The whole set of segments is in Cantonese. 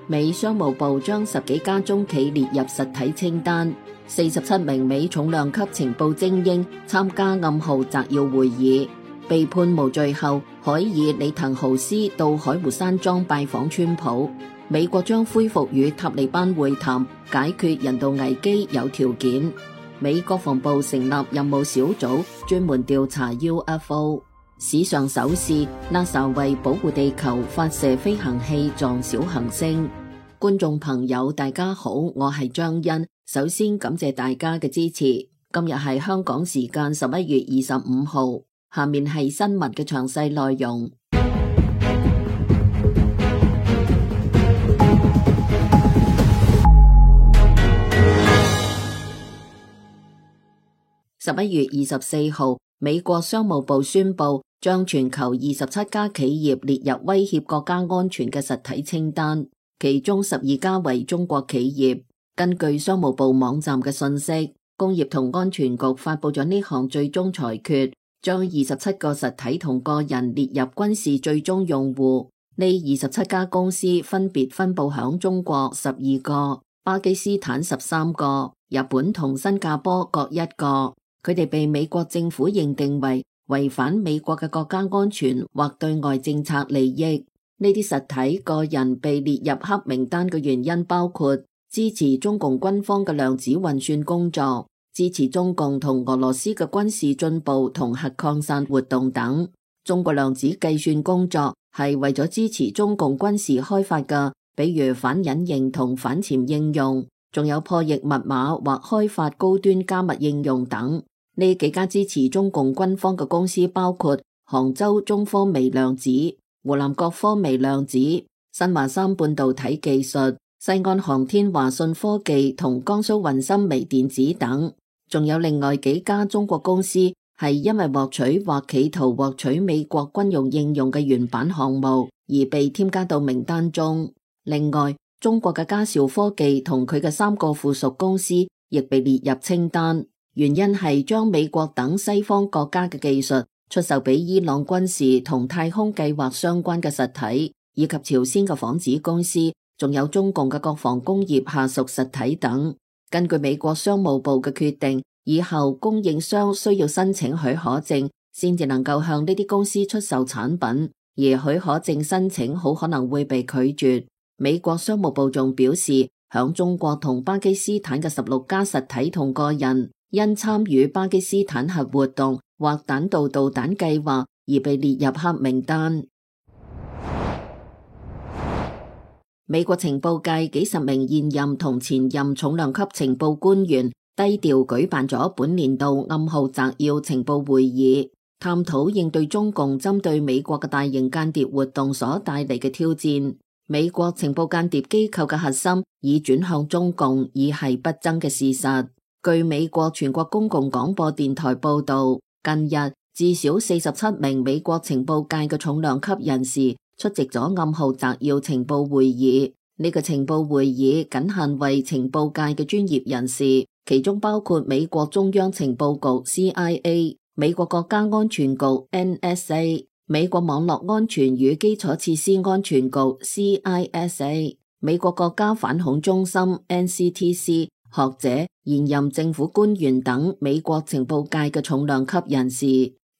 美商務部將10幾家中企列入實體清單，47名美重量級情報精英參加暗號摘要會議。被判無罪後，海爾里滕豪斯到海湖山莊拜訪川普。美國將恢復與塔利班會談，解決人道危機有條件。美國防部成立任務小組，專門調查 UFO。史上首次 NASA 為保護地球發射飛行器撞小行星。觀眾朋友大家好，我係張欣，首先感謝大家嘅支持。今日係香港時間11月25號，下面係新聞嘅詳細內容。11月24號，美國商務部宣布將全球27家企業列入威脅國家安全嘅實體清單，其中12家為中國企業。根據商務部網站嘅信息，工業同安全局發佈咗呢項最終裁決，將27個實體同個人列入軍事最終用戶。呢27家公司分別分佈響中國12個、巴基斯坦13個、日本同新加坡各1個。佢哋被美國政府認定為違反美國嘅國家安全或對外政策利益。呢啲實體個人被列入黑名單嘅原因包括支持中共軍方嘅量子運算工作，支持中共同俄羅斯嘅軍事進步同核擴散活動等。中國量子計算工作係為咗支持中共軍事開發嘅，比如反隱形同反潛應用，仲有破譯密碼或開發高端加密應用等。呢幾家支持中共軍方嘅公司包括杭州中科微量子、湖南國科微量子、新華三半導體技術、西安航天華信科技同江蘇雲深微電子等。仲有另外幾家中國公司係因為獲取或企圖獲取美國軍用應用嘅原版項目而被添加到名單中。另外，中國嘅嘉兆科技同佢嘅3個附屬公司亦被列入清單。原因係將美國等西方國家嘅技術出售俾伊朗軍事同太空計劃相關嘅實體，以及朝鮮嘅紡子公司，仲有中共嘅國防工業下屬實體等。根據美國商務部嘅決定，以後供應商需要申請許可證，先至能夠向呢啲公司出售產品，而許可證申請好可能會被拒絕。美國商務部仲表示，響中國同巴基斯坦嘅16家實體同個人，因參與巴基斯坦核活動或彈道導彈計劃而被列入黑名單。美國情報界幾十名現任同前任重量級情報官員低調舉辦咗本年度暗號摘要情報會議，探討應對中共針對美國嘅大型間諜活動所帶嚟嘅挑戰。美國情報間諜機構嘅核心已轉向中共，已係不爭嘅事實。據美國全國公共廣播電台報道，近日至少47名美國情報界嘅重量級人士出席咗暗號摘要情報會議。呢個情報會議僅限為情報界嘅專業人士，其中包括美國中央情報局 CIA、美國國家安全局 NSA、美國網絡安全與基礎設施安全局 CISA、美國國家反恐中心 NCTC、學者、現任政府官員等美國情報界嘅重量級人士。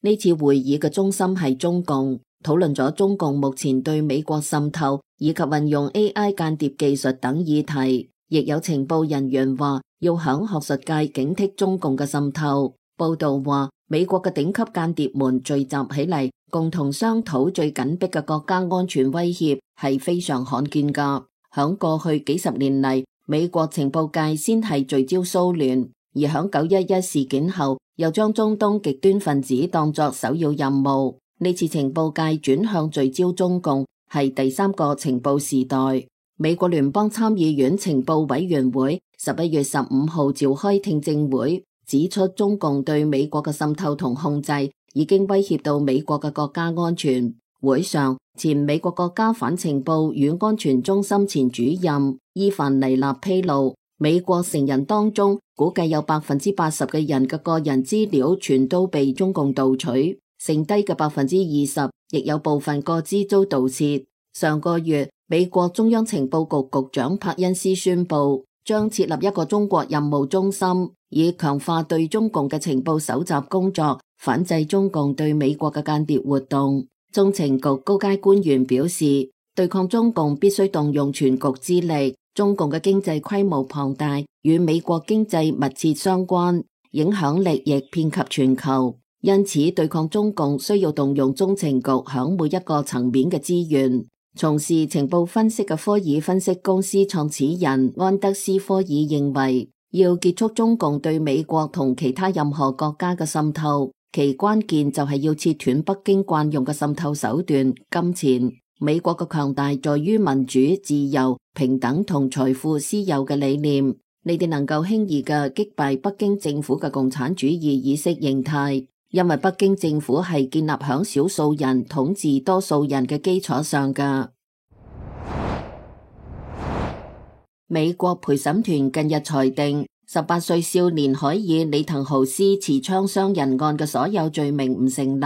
呢次會議嘅中心係中共，討論咗中共目前對美國滲透以及運用 AI 間諜技術等議題。亦有情報人員話要響學術界警惕中共嘅滲透。報道話，美國嘅頂級間諜們聚集起嚟，共同商討最緊迫嘅國家安全威脅，係非常罕見噶。響過去幾十年嚟，美國情報界先係聚焦蘇聯，而響911事件後，又將中東極端分子當作首要任務。呢次情報界轉向聚焦中共，係第3個情報時代。美國聯邦參議院情報委員會11月15號召開聽證會，指出中共對美國嘅滲透同控制已經威脅到美國嘅國家安全。會上，前美國國家反情報與安全中心前主任伊凡尼納披露，美國成人當中估計有80%嘅人嘅個人資料全都被中共盜取，剩低嘅20%亦有部分個資遭盜竊。上個月，美國中央情報局局長柏恩斯宣布，將設立一個中國任務中心，以強化對中共嘅情報搜集工作，反制中共對美國嘅間諜活動。中情局高階官員表示，對抗中共必須動用全局之力。中共嘅經濟規模龐大，與美國經濟密切相關，影響力亦遍及全球。因此，對抗中共需要動用中情局響每一個層面嘅資源。從事情報分析嘅科爾分析公司創始人安德斯科爾認為，要結束中共對美國同其他任何國家嘅滲透，其關鍵就係要切斷北京慣用嘅滲透手段——金錢。美國嘅強大在於民主、自由、平等同財富私有嘅理念，你哋能夠輕易嘅擊敗北京政府嘅共產主義意識形態，因為北京政府係建立響少數人統治多數人嘅基礎上嘅。美國陪審團近日裁定，18歲少年海爾里滕豪斯持槍傷人案嘅所有罪名唔成立。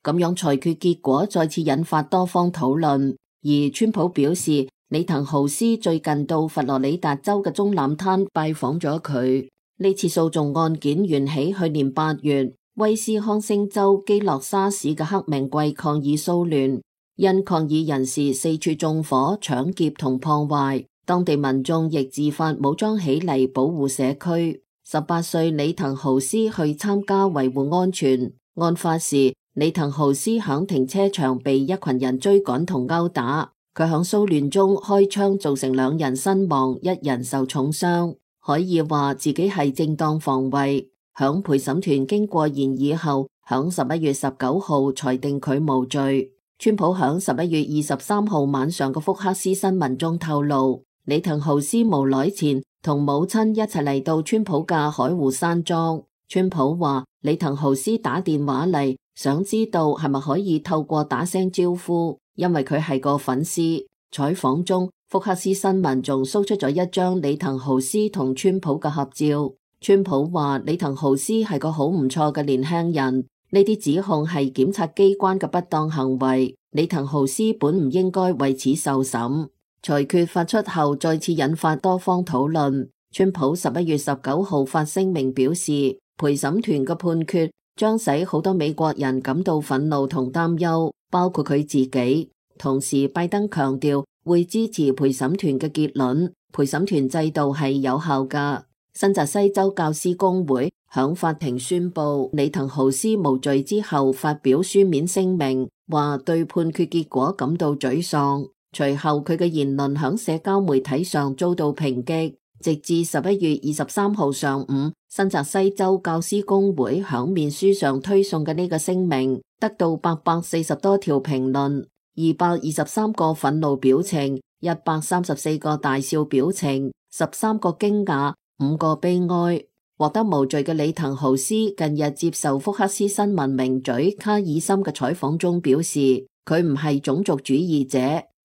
咁樣裁決結果再次引發多方討論，而川普表示，里滕豪斯最近到佛羅里達州嘅棕櫚灘拜訪咗佢。呢次訴訟案件源起去年8月，威斯康星州基洛沙市嘅黑名貴抗議騷亂，因抗議人士四處縱火、搶劫同破壞，當地民眾亦自發武裝起嚟保護社區。18歲里滕豪斯去參加維護安全。案發時，里滕豪斯響停車場被一群人追趕同毆打，佢響騷亂中開槍造成2人身亡，1人受重傷。海爾話自己係正當防衛。響陪審團經過研議後，響11月19號裁定佢無罪。川普響11月23號晚上嘅福克斯新聞中透露，里滕豪斯無耐前同母親一齊嚟到川普嘅海湖山莊。川普話里滕豪斯打電話嚟，想知道係咪可以透過打聲招呼，因為佢係個粉絲。採訪中，福克斯新聞仲 show 出咗一張里滕豪斯同川普嘅合照。川普話里滕豪斯係個好唔錯嘅年輕人，呢啲指控係檢察機關嘅不當行為，里滕豪斯本唔應該為此受審。裁決發出後再次引發多方討論。川普11月19號發聲明表示，陪審團嘅判決將使好多美國人感到憤怒同擔憂，包括佢自己。同時，拜登強調會支持陪審團嘅結論，陪審團制度係有效㗎。新澤西州教師公會響法庭宣布里滕豪斯無罪之後，發表書面聲明，話對判決結果感到沮喪。隨後佢嘅言論響社交媒體上遭到抨擊。直至11月23號上午，新澤西州教師公會響面書上推送嘅呢個聲明，得到840多條評論、223個憤怒表情、134個大笑表情、13個驚訝、5個悲哀。獲得無罪嘅里滕豪斯近日接受福克斯新聞名嘴卡爾森嘅採訪中表示，佢唔係種族主義者，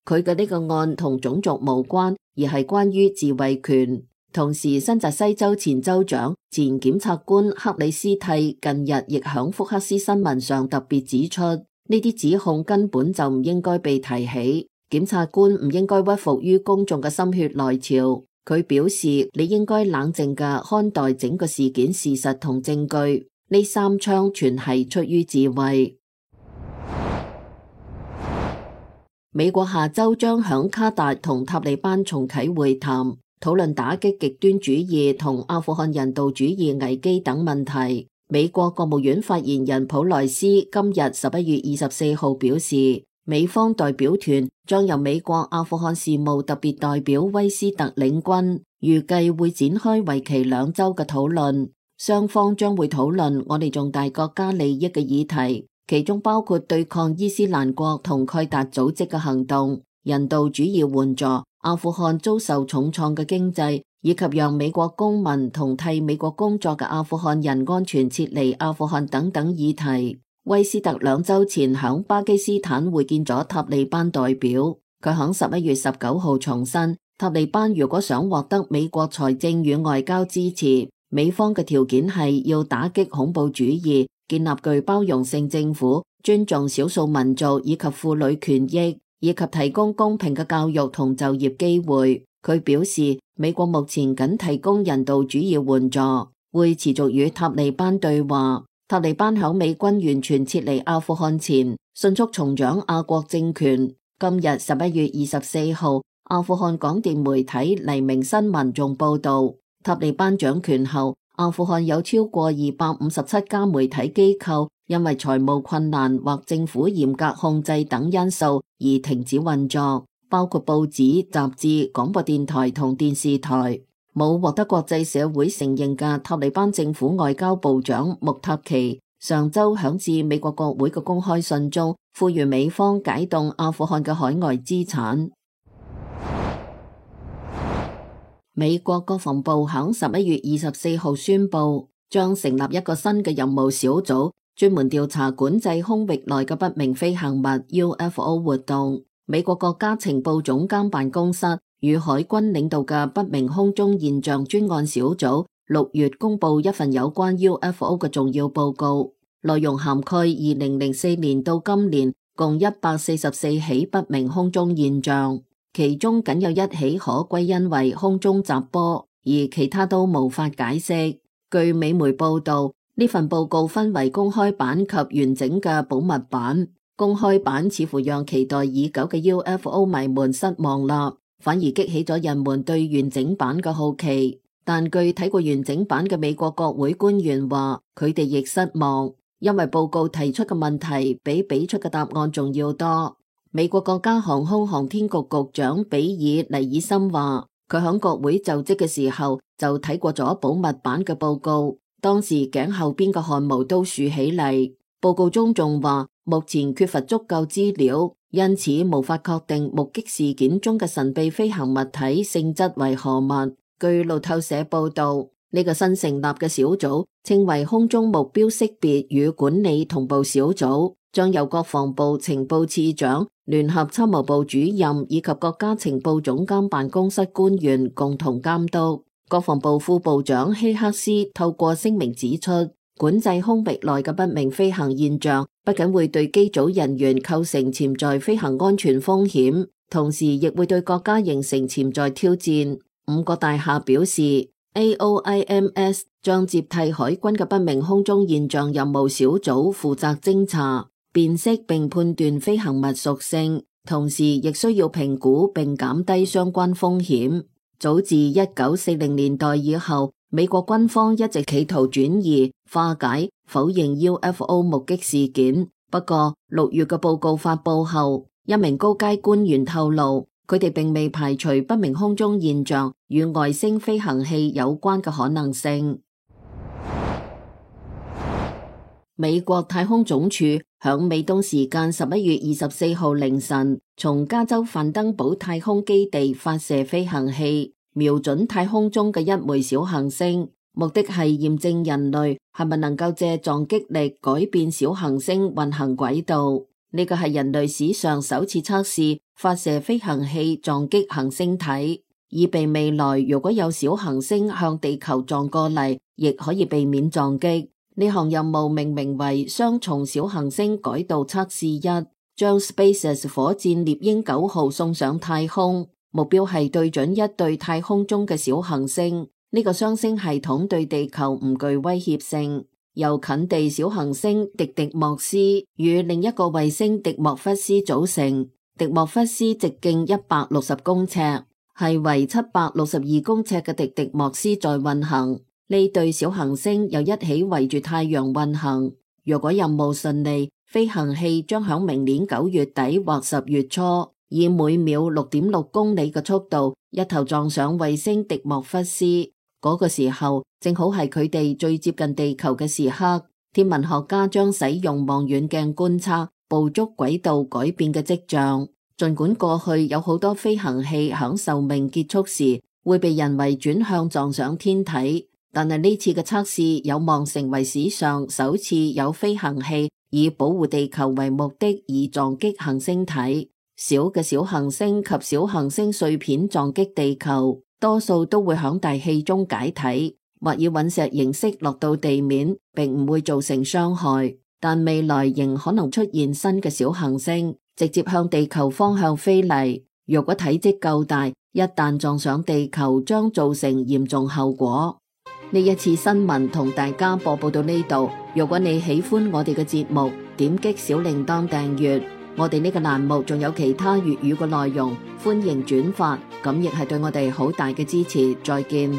佢嘅呢個案同種族無關，而係關於自衛權。同時，新澤西州前州長、前檢察官克里斯蒂近日亦響福克斯新聞上特別指出，呢啲指控根本就唔應該被提起，檢察官唔應該屈服於公眾嘅心血來潮。佢表示，你應該冷靜嘅看待整個事件事實同證據，呢3槍全係出於自衛。美國下周將響卡達同塔利班重啟會談，討論打擊極端主義同阿富汗人道主義危機等問題。美國國務院發言人普萊斯今日11月24號表示，美方代表團將由美國阿富汗事務特別代表威斯特領軍，預計會展開為期2週嘅討論。雙方將會討論我哋重大國家利益嘅議題，其中包括對抗伊斯蘭國同蓋達組織嘅行動、人道主義援助、阿富汗遭受重創嘅經濟，以及讓美國公民同替美國工作嘅阿富汗人安全撤離阿富汗等等議題。威斯特2週前響巴基斯坦會見咗塔利班代表，佢響11月19號重申，塔利班如果想獲得美國財政與外交支持，美方嘅條件係要打擊恐怖主義，建立具包容性政府，尊重少數民族以及婦女權益。以及提供公平嘅教育同就業機會。佢表示，美國目前僅提供人道主義援助，會持續與塔利班對話。塔利班響美軍完全撤離阿富汗前，迅速重掌阿國政權。今日11月24號，阿富汗廣電媒體黎明新聞仲報道，塔利班掌權後，阿富汗有超過257家媒體機構因為財務困難或政府嚴格控制等因素而停止運作，包括報紙、雜誌、廣播電台同電視台。冇獲得國際社會承認嘅塔利班政府外交部長穆塔奇上周響致美國國會嘅公開信中，呼籲美方解凍阿富汗嘅海外資產。美國國防部響11月24號宣布，將成立一個新嘅任務小組，專門調查管制空域內嘅不明飛行物 UFO 活動。美國國家情報總監辦公室與海軍領導嘅不明空中現象專案小組6月公布一份有關 UFO 嘅重要報告，內容涵蓋2004年到今年共144起不明空中現象，其中僅有1起可歸因為空中雜波，而其他都無法解釋。據美媒報道，呢份報告分為公開版及完整嘅保密版。公開版似乎讓期待已久嘅 UFO 迷們失望啦，反而激起咗人們對完整版嘅好奇。但據睇過完整版嘅美國國會官員話，佢哋亦失望，因為報告提出嘅問題比俾出嘅答案仲要多。美國國家航空航天局局長比爾尼爾森話，佢響國會就職嘅時候就睇過咗保密版嘅報告，當時頸後邊嘅汗毛都豎起嚟。報告中仲話，目前缺乏足夠資料，因此無法確定目擊事件中嘅神秘飛行物體性質為何物。據路透社報道，呢個新成立嘅小組稱為空中目標識別與管理同步小組，將由國防部情報次長、聯合參謀部主任以及國家情報總監辦公室官員共同監督。國防部副部長希克斯透過聲明指出，管制空域內嘅不明飛行現象不僅會對機組人員構成潛在飛行安全風險，同時亦會對國家形成潛在挑戰。5個大廈表示 AOIMS 將接替海軍嘅不明空中現象任務小組負責偵查、辨識並判斷飛行物屬性，同時亦需要評估並減低相關風險。早自1940年代以後，美國軍方一直企圖轉移、化解、否認 UFO 目擊事件。不過6月嘅報告發佈後，一名高階官員透露，佢哋並未排除不明空中現象與外星飛行器有關嘅可能性。美國太空總署響美東時間11月24號凌晨，從加州范登堡太空基地發射飛行器，瞄準太空中嘅一枚小行星，目的係驗證人類係咪能夠借撞擊力改變小行星運行軌道。呢個係人類史上首次測試發射飛行器撞擊行星體，以備未來如果有小行星向地球撞過嚟，亦可以避免撞擊。呢項任務命名為雙重小行星改道測試1，將 SpaceX 火箭獵鷹9號送上太空，目標係對準一對太空中嘅小行星。呢個雙星系統對地球唔具威脅性，由近地小行星迪迪莫斯與另一個衛星迪莫弗斯組成。迪莫弗斯直徑160公尺，係為762公尺嘅迪迪莫斯在運行。呢對小行星又一起圍住太陽運行。若果任務順利，飛行器將響明年9月底或10月初，以每秒 6.6 公里嘅速度一頭撞上衛星迪莫弗斯。嗰個時候正好係佢哋最接近地球嘅時刻。天文學家將使用望遠鏡觀測，捕捉軌道改變嘅跡象。儘管過去有好多飛行器響壽命結束時會被人為轉向撞上天體，但係呢次嘅測試有望成為史上首次有飛行器以保護地球為目的而撞擊行星體。小嘅小行星及小行星碎片撞擊地球，多數都會響大氣中解體，或以隕石形式落到地面，並唔會造成傷害。但未來仍可能出現新嘅小行星，直接向地球方向飛嚟。如果體積夠大，一旦撞上地球，將造成嚴重後果。呢一次新聞同大家播報到呢度。如果你喜歡我哋嘅節目，點擊小鈴鐺訂閱。我哋呢個欄目仲有其他粵語嘅內容，歡迎轉發，咁亦係對我哋好大嘅支持。再見。